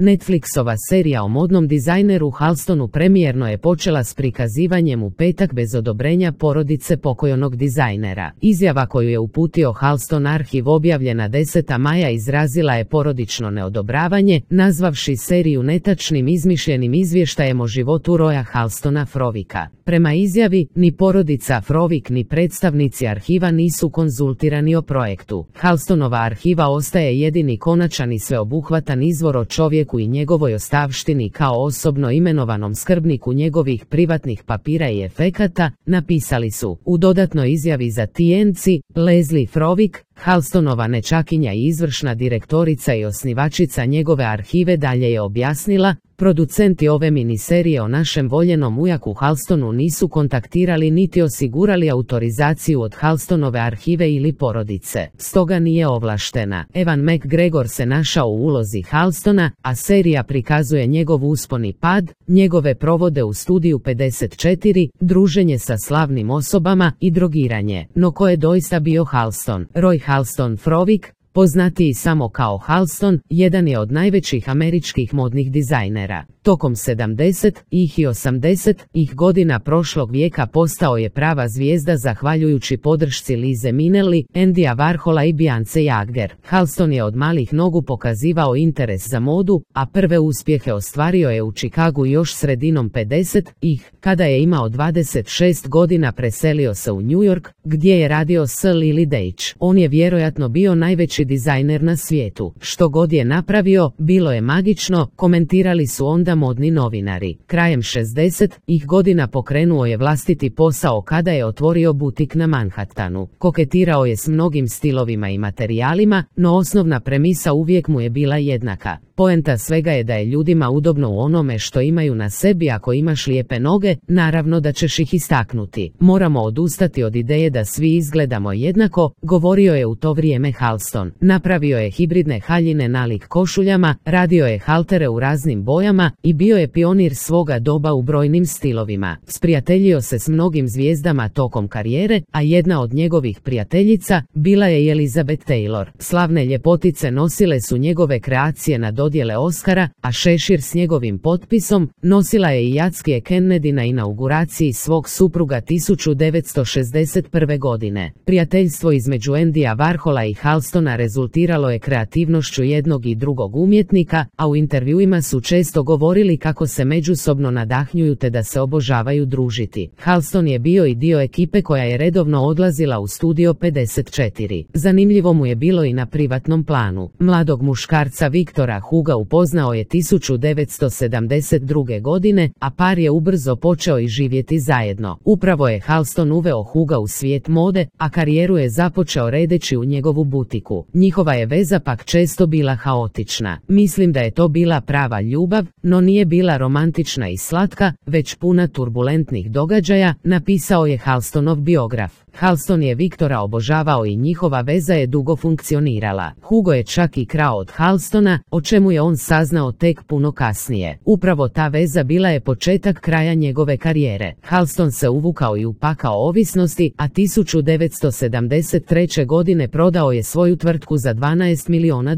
Netflixova serija o modnom dizajneru Halstonu premijerno je počela s prikazivanjem u petak bez odobrenja porodice pokojnog dizajnera. Izjava koju je uputio Halston arhiv objavljena 10. maja izrazila je porodično neodobravanje, nazvavši seriju netačnim izmišljenim izvještajem o životu Roya Halstona Frovika. Prema izjavi, ni porodica Frovik ni predstavnici arhiva nisu konzultirani o projektu. Halstonova arhiva ostaje jedini konačan i sveobuhvatan izvor o čovjeku i njegovoj ostavštini kao osobno imenovanom skrbniku njegovih privatnih papira i efekata, napisali su. U dodatnoj izjavi za TNC, Leslie Frovik, Halstonova nečakinja i izvršna direktorica i osnivačica njegove arhive, dalje je objasnila: producenti ove miniserije o našem voljenom ujaku Halstonu nisu kontaktirali niti osigurali autorizaciju od Halstonove arhive ili porodice, stoga nije ovlaštena. Evan McGregor se našao u ulozi Halstona, a serija prikazuje njegov uspon i pad, njegove provode u studiju 54, druženje sa slavnim osobama i drogiranje. No ko je doista bio Halston? Roy Halston Frovik, poznatiji samo kao Halston, jedan je od najvećih američkih modnih dizajnera. Tokom 70-ih i 80-ih godina prošlog vijeka postao je prava zvijezda zahvaljujući podršci Lize Minnelli, Andyja Warhola i Beyonce Jagger. Halston je od malih nogu pokazivao interes za modu, a prve uspjehe ostvario je u Chicagu još sredinom 50-ih, kada je imao 26 godina preselio se u New York, gdje je radio s Lily Deitch. On je vjerojatno bio najveći dizajner na svijetu. Što god je napravio, bilo je magično, komentirali su onda modni novinari. Krajem 60-ih godina pokrenuo je vlastiti posao kada je otvorio butik na Manhattanu. Koketirao je s mnogim stilovima i materijalima, no osnovna premisa uvijek mu je bila jednaka. Poenta svega je da je ljudima udobno u onome što imaju na sebi. Ako imaš lijepe noge, naravno da ćeš ih istaknuti. Moramo odustati od ideje da svi izgledamo jednako, govorio je u to vrijeme Halston. Napravio je hibridne haljine nalik košuljama, radio je haltere u raznim bojama i bio je pionir svoga doba u brojnim stilovima. Sprijateljio se s mnogim zvijezdama tokom karijere, a jedna od njegovih prijateljica bila je Elizabeth Taylor. Slavne ljepotice nosile su njegove kreacije na dodjele Oscara, a šešir s njegovim potpisom nosila je i Jackie Kennedy na inauguraciji svog supruga 1961. godine. Prijateljstvo između Andyja Warhola i Halstona rezultiralo je kreativnošću jednog i drugog umjetnika, a u intervjuima su često govorili kako se međusobno nadahnjuju te da se obožavaju družiti. Halston je bio i dio ekipe koja je redovno odlazila u studio 54. Zanimljivo mu je bilo i na privatnom planu. Mladog muškarca Viktora Huga upoznao je 1972. godine, a par je ubrzo počeo i živjeti zajedno. Upravo je Halston uveo Huga u svijet mode, a karijeru je započeo redeći u njegovu butiku. Njihova je veza pak često bila haotična. Mislim da je to bila prava ljubav, no nije bila romantična i slatka, već puna turbulentnih događaja, napisao je Halstonov biograf. Halston je Viktora obožavao i njihova veza je dugo funkcionirala. Hugo je čak i krao od Halstona, o čemu je on saznao tek puno kasnije. Upravo ta veza bila je početak kraja njegove karijere. Halston se uvukao i upakao ovisnosti, a 1973. godine prodao je svoju tvrtku za $12 milijuna.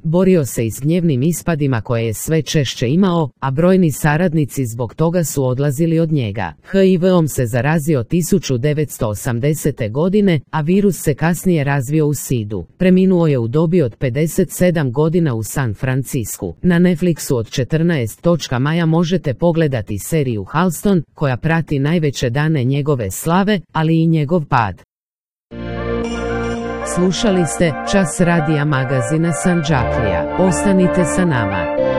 Borio se i s gnjevnim ispadima koje je sve češće imao, a brojni saradnici zbog toga su odlazili od njega. HIV-om se zarazio 1980. godine, a virus se kasnije razvio u SIDU. Preminuo je u dobi od 57 godina u San Francisku. Na Netflixu od 14. maja možete pogledati seriju Halston, koja prati najveće dane njegove slave, ali i njegov pad. Slušali ste Čas radija magazina Sandžaklija. Ostanite sa nama.